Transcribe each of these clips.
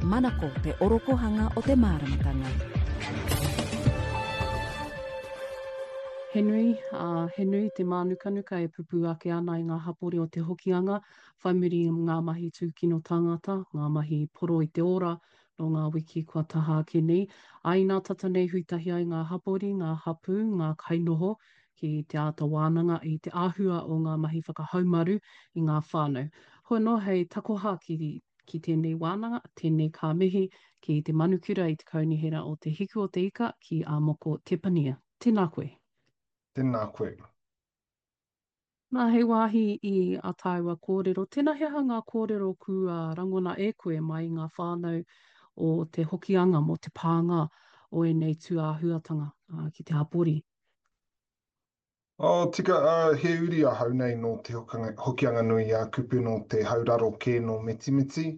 Manako te orokohanga o te māramatanga. He nui, ā, he nui te mānukanuka e pupū ake ana i ngā hapori o Te Hokianga whai muri i ngā mahi tūkino tāngata, ngā mahi poro i te ora nō ngā wiki kua taha ake nei. Ā, inā tata nei hui tahi ai ngā hapori, ngā hapū, ngā kainoho ki te āta wānanga i te āhua o ngā mahi whakahaumaru i ngā whānau. Hoi anō hei takoha ki ki tēnei wānanga, tēnei ka mihi ki te manukura i te Kaunihera o Te Hiku o Te Ika ki a Moko Tepania. Tēnā koe. Tēnā koe. Nā, hei wāhi i a tāua kōrero, tēnā he aha ngā kōrero kua rangona e koe mai i ngā whānau o Te Hokianga mō te pānga o ēnei tūāhuatanga ki te hapori? Oh, tika, he uri ahau nei nō Te Hokianga-nui-a-Kupe, nō te hauraro kē nō Mitimiti.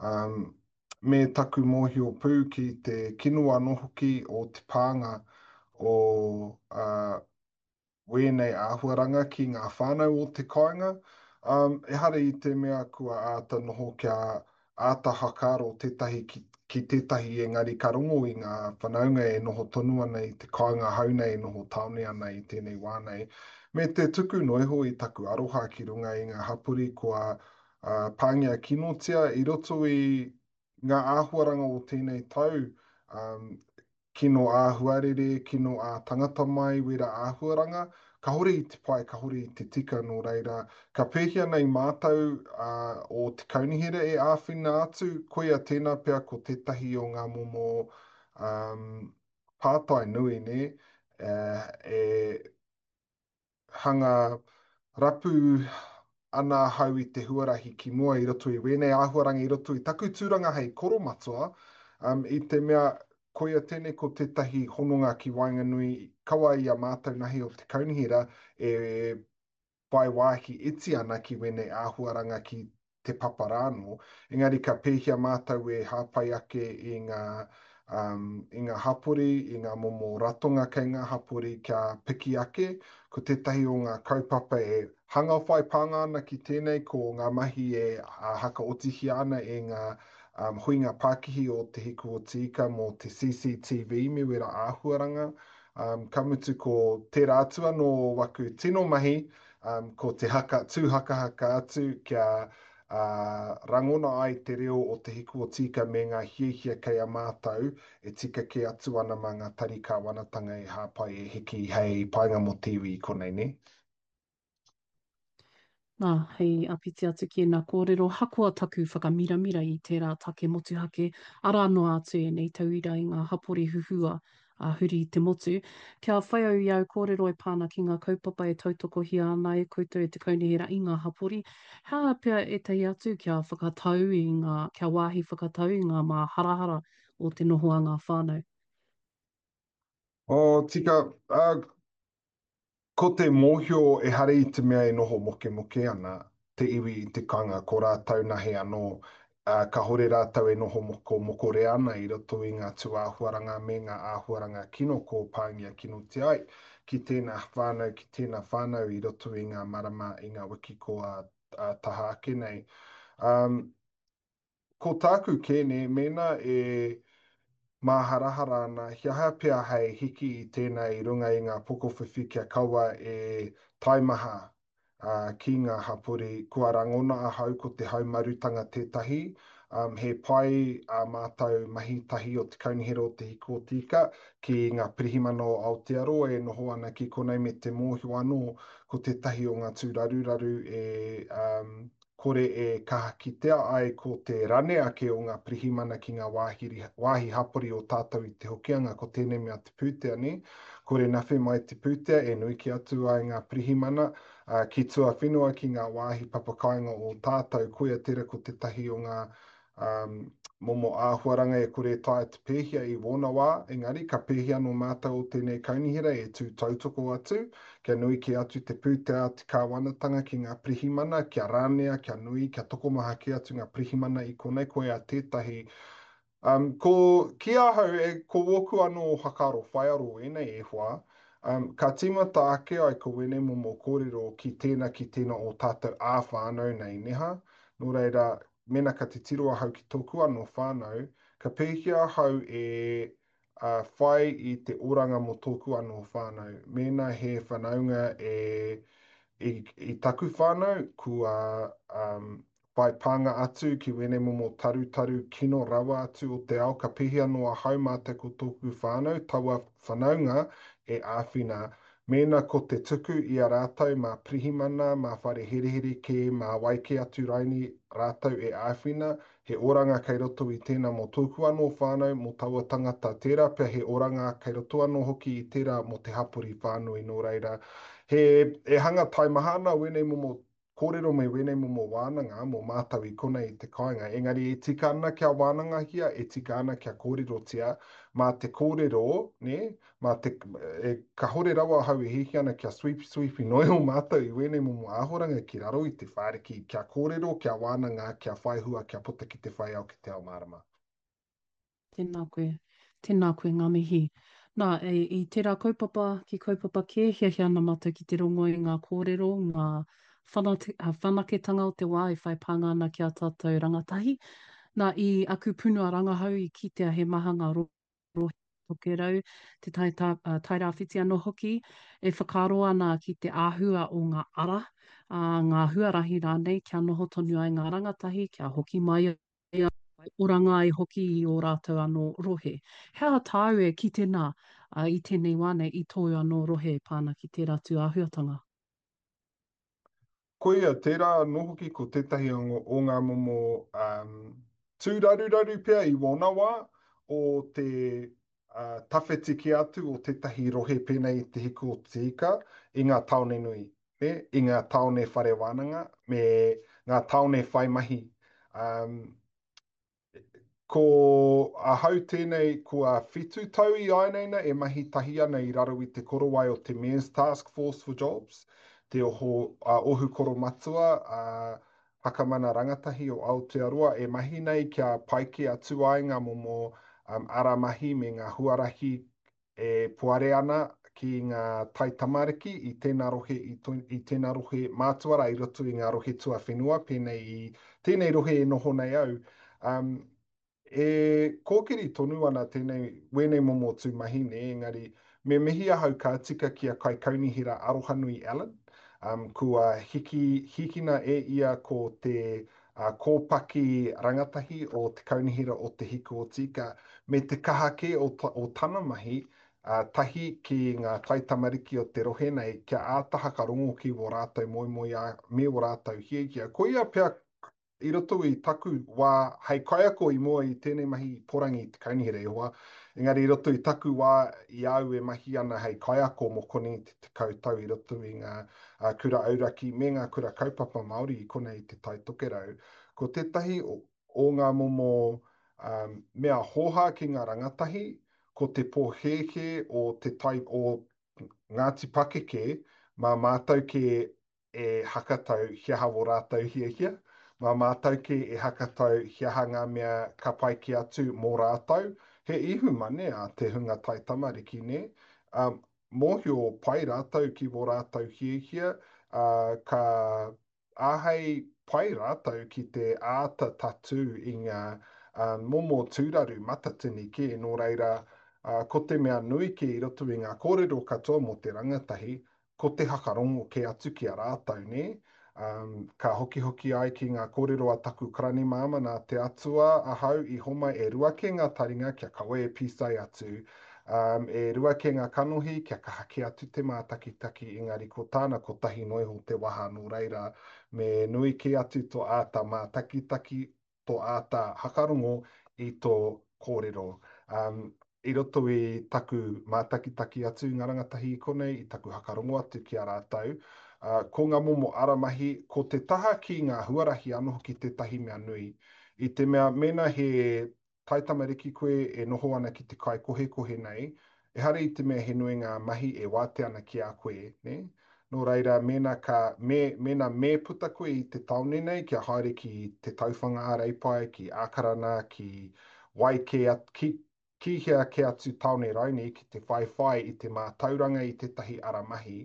Um, me taku mōhio pū ki te kino anō hoki o te pānga o uh, wēnei āhuaranga ki ngā whānau o te kāinga. Um, ehara i te mea kua āta noho kia āta whakaaro tētahi ki, ki tētahi engari ka rongo i ngā whanaunga e noho tonu ana i te kāinga hou nei, e noho tāone ana i tēnei wā nei. Me te tuku noa iho i taku aroha ki runga i ngā hapori kua uh, pāngia kinotia i roto i ngā āhuaranga o tēnei tau, um, kino āhuarere, kino ā-tangata mai wērā āhuaranga, kāore i te pai, kāore i te tika, nō reira, ka pēhea nei mātou o te kaunihera e āwhina atu, koia tēnā pea ko tētahi o ngā momo pātai nui, nē, e hanga rapu ana ahau i te huarahi ki mua i roto i wēnei āhuaranga i roto i taku tūranga hei koromatua, um, i te mea koia tēnei ko tētahi hononga ki waenganui kawa i a mātou nahi o te kaunihera e whai wāhi iti ana ki wēnei āhuaranga ki te papa rānō, engari ka pēhea mātou e hāpai ake i ngā, um, i ngā hapori, i ngā momo ratonga kei ngā hapori kia piki ake. Ko tētahi o ngā kaupapa e hanga whai pānga ana ki tēnei ko ngā mahi e hakaotihia ana e ngā um, huinga pākihi o Te Hiku o Te Ika mō te CCTV me wera āhuaranga. Um, ka mutu ko tērā atu anō o waku tino mahi, Um, ko te haka, tū hakahaka atu kia uh, rangona ai te reo o Te Hiku o Tīka me ngā hiahia kei a mātou e tika kē atu ana mā ngā tari kāwanatanga e hāpai e hiki hei painga mō te iwi i konei, nē? Nā, hei āpiti atu ki ēnā kōrero, hakoa taku whakamiramira i tērā take motuhake, arā noa atu ēnei tauira i ngā hapori huhua ā, huri i te motu. Kia whai au i āu kōrero e pā ana ki ngā kaupapa e tautokohia ana e koutou e te Kaunihera i ngā hapori, he aha pea ētahi atu kia whakatau i ngā, kia wāhi whakatau i ngā māharahara o te noho a ngā whānau? Oh, tika, ā, Ko te mōhio ehara i te mea e noho mokemoke ana te iwi i te kanga, ko rātou nahe anō, ā, kāhore rātou e noho moko mokorea ana i roto i ngā tūāhuaranga me ngā āhuaranga kino kō pāngia kinotia ai ki tēnā whānau, ki tēnā whānau i roto i ngā marama, i ngā wiki kua taha ake nei. Ā, Ko tāku kē nē, mēnā e māharahara ana, he aha pea hei hiki i tēnā i runga i ngā pokowhiwhi kia kaua e taimaha ki ngā hapori, kua rangona ahau ko te haumarutanga tētahi, he pai ā mātou mahi tahi o Te Kaunihera o Te Hiku o Te Ika ki ngā Pirihimana o Aotearoa e noho ana ki konei me te mōhio anō ko tētahi o ngā tūraruraru e kore e kaha kitea ai ko te rane ake o ngā pirihimana ki ngā wāhi, wāhi hapori o tātou i Te Hokianga, ko tēnei mea te pūtea, nē? Kore nawhe mai te pūtea e nui kē atu ai ngā pirihimana, ā, ki tuawhenua ki ngā wāhi papakāinga o tātou, koia tērā ko tētahi o ngā um, momo āhuaranga e kore e taea te pēhia i wōna wā, engari ka pēhia anō mātou o tēnei kaunihera e tū tautoko atu, kia nui kē atu te pūtea a te kāwanatanga ki ngā pirihimana, kia ranea, kia nui, kia tokomaha kē atu ngā pirihimana i konei, koia tētahi. Um, ko, ki ahau, e, ko wōku anō whakaaro whaiaro ēnei e hoa, um, ka tīmata ake ai ko wēnei momo kōrero ki tēnā ki tēnā o tātou ā-whānau nei, neha? Nō reira, mēnā ka titiro ahau ki tōku anō whānau, ka pēhea ahau e whai i te oranga mō tōku anō whānau? Mēnā he whanaunga e, i, i taku whānau, kua um, whai pānga atu ki wēnei momo tarutaru kino rawa atu o te ao, ka pēhea anō ahau mātou ko tōku whānau, taua whanaunga e āwhina Mēnā ko te tuku i a rātou mā pirihimana, mā whare herehere kē, mā wai kē atu raini rātou e āwhina, he oranga kei roto i tēnā mō tōku anō whānau, mō taua tangata, tērā pea he oranga kei roto anō hoki i tērā mō te hapori whānui nō reira, he, e hanga taimaha ana wēnei momo kōrero me wēnei momo wānanga mō mātou i konei i te kāinga, engari e tika ana kia wānangahia, e tika ana kia kōrerotia, mā te kōrero, nē, mā te, e, kahore rawa ahau e hiahia ana kia sweep-sweepi noa iho mātou i wēnei momo āhoranga ki raro i te whāriki, kia kōrero, kia wānanga, kia whai hua, kia puta ki te whai ao, ki te ao mārama. Tēnā koe. Tēnā koe, ngā mihi. Nā, e, i tērā kaupapa ki kaupapa kē, hiahia ana mātou ki te rongo i ngā kōrero, ngā whanate, whanaketanga o te wā e whai pānga ana ki a tātou rangatahi. Nā, i aku punua rangahau i kitea he maha ngā rohe Tokerau, te tai, tā, Tairāwhiti anō hoki, e whakaaro ana ki te āhua o ngā ara, ā, ngā huarahi rānei kia noho tonu ai ngā rangatahi, kia hoki mai ai, whai oranga ai hoki i ō rātou anō rohe. He aha tāu e kite nā i tēnei wā nei i tōu anō rohe e pā ana ki tērā tū āhuatanga? Koia, tērā anō hoki ko tētahi o ngā momo tūraruraru pea i wōna wā o te tawhiti kē atu o tētahi rohe pēnei i Te Hiku o Te Ika i ngā tāone nui, nē, i ngā tāone whare wānanga me ngā tāone whai mahi. Um, ko ahau tēnei kua whitu tau i āineina e mahi tahi ana i raro i te korowai o te Mayor's Task Force for Jobs, te oho, uh, ohu koromatua, uh, Whakamana Rangatahi o Aotearoa e mahi nei kia pai kē atu ai ngā momo ara mahi me ngā huarahi e poare ana ki ngā taitamariki i tēnā rohe, i tēnā rohe mātua rā i roto i ngā rohe tuawhenua pēnei i tēnei rohe e noho nei au. E kōkiri tonu ana tēnei, wēnei momo tū mahi nē, engari me mihi ahau ka tika ki a Kaikaunihera Arohanui Allen, um, kua hiki, hikina e ia ko te uh, kōpaki rangatahi o Te Kaunihera o Te Hiku o Tīka, me te kaha kē o, o tana mahi uh, tahi ki ngā taitamariki o te rohe nei kia āta hakarongo ki wō rātou moemoeā me wō rātou hiahia. Koia pea I roto i taku wā hei kaiako i mua i tēnei mahi i Porangi i te kaunihera e hoa, engari i roto i taku wā i a au e mahi ana hei kaiako mō konei te 10 tau i roto i ngā kura auraki me ngā kura kaupapa Māori i konei i Te Tai Tokerau, ko tētahi o ngā momo mea hōhā ki ngā rangatahi, ko te pōhēhē o te tai, o Ngāti Pakeke, mā mātou kē e hakatau he aha wō rātou hiahia, mā mātou kē e hakatau he aha ngā mea ka pai kē atu mō rātou. He ihu mane a te hunga taitamariki, nē? Ā, mōhio pai rātou ki wō rātou hiahia, ā, ka āhei pai rātou ki te āta tatū i ngā momo tūraru matatini kē, nō reira, ā, ko te mea nui kē i roto i ngā kōrero katoa mō te rangatahi, ko te hakarongo kē atu ki a rātou, nē? Um, ka hokihoki ai ki ngā kōrero a taku karani māmā nā te Atua ahau i homai e rua kē ngā taringa kia kaua e pīsai atu, um, e rua kē ngā kanohi kia kaha kē atu te mātakitaki, engari ko tāna kotahi noa iho te waha nō reira me nui kē atu tō āta mātakitaki tō āta hakarongo i tō kōrero. Um, i roto i taku mātakitaki atu i ngā rangatahi i konei, i taku hakarongo atu ki a rātou, uh, ko ngā momo ara mahi, ko te taha ki ngā huarahi anō hoki tētahi mea nui. I te mea, mēnā he taitamariki koe e noho ana ki te kaikohekohe nei, ehara i te mea he nui ngā mahi e wātea ana ki a koe, nē? Nō reira, mēnā ka, me, mēnā me puta koe i te tāone nei kia haere ki Te Tauwhanga-a-Reipae, ki Ākarana, ki wai kē atu, ki, ki hea kē atu tāone rainī ki te whaiwhai i te mātauranga i tētahi ara mahi,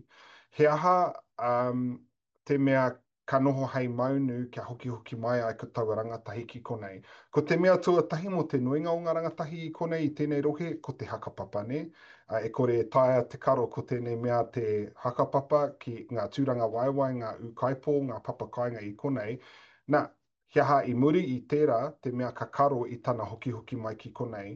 he aha, um, te mea. Ka noho hei maunu kia hokihoki mai ai ko taua rangatahi ki konei. Ko te mea tuatahi mō te nuinga o ngā rangatahi i konei i tēnei rohe, ko te hakapapa, nē? E kore e taea te karo ko tēnei mea te hakapapa ki ngā tūrangawaewae, ngā ūkaipō, ngā papa kāinga i konei. Nā, He aha i muri i tērā te mea ka karo i tana hokihoki mai ki konei?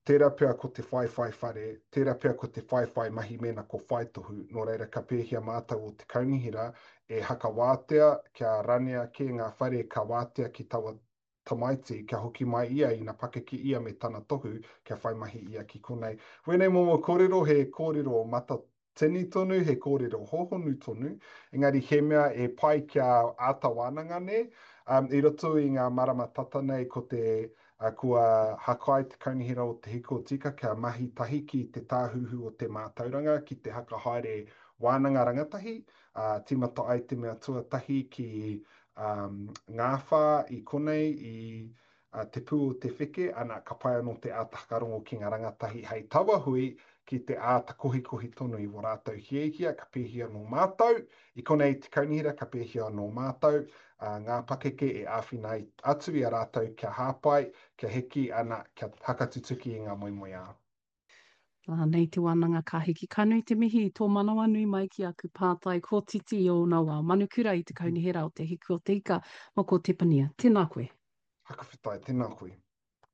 Tērā pea ko te whaiwhai whare, tērā pea ko te whaiwhai mahi mēnā ko whaitohu, nō reira ka pēhea mātou o te kaunihera e hakawātea kia ranea kē ngā whare ka wātea ki taua tamaiti kia hoki mai ia ina pakeke ia me tana tohu kia whai mahi ia ki konei. Wēnei momo kōrero he kōrero mata Tini tonu, he kōrero hōhonu tonu, engari he mea e pai kia āta wānanga nē. Um, i roto i ngā marama tata nei ko te, uh, kua hakai te Kaunihera o Te Hiko Tika kia mahi tahi ki te Tāhuhu o te Mātauranga ki te hakahaere wānanga rangatahi, uh, tīmata ai te mea tuatahi ki um, Ngāwhā i konei i a Te Pū o Te Wheke, ana, ka pai anō te āta whakarongo ki ngā rangatahi hei taua hui ki te āta kohikohi tonu i wō rātou hiahia, ka pēhia nō mātou, i konei te kaunihera ka pēhia nō mātou, ā, ngā pakeke e āwhina atu i a rātou kia hāpai, kia hiki, ana, kia hakatutuki i ngā moemoeā. Ā, nei te wānanga ka hiki. Ka nui te mihi i tō manawanui mai ki aku pātai kōtiti i ōna wā. Manukura i te Kaunihera o Te Hiku o Te Ika, Moko Tepania. Tēnā koe. Hakawhetai, tēnā koe.